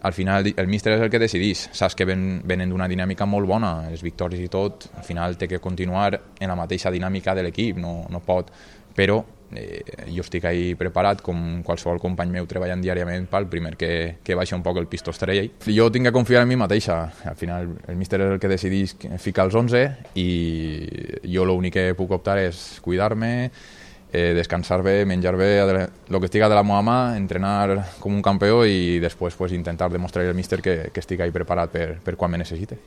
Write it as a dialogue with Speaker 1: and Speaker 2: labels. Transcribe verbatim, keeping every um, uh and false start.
Speaker 1: al final el míster és el que decidís, saps que ven, venen d'una dinàmica molt bona, les victòries i tot, al final té que continuar en la mateixa dinàmica de l'equip, no, no pot, però eh, jo estic ahí preparat com qualsevol company meu treballant diàriament pel primer que, que baixa un poc el pistó estrella. Jo tinc que confiar en mi mateixa, al final el míster és el que decidís ficar els onze i jo l'únic que puc optar és cuidar-me, eh, descansar bé, menjar bé, el que estiga de la meva mà, entrenar com un campió i després pues, intentar demostrar al míster que, que estic ahí preparat per, per quan me necessite.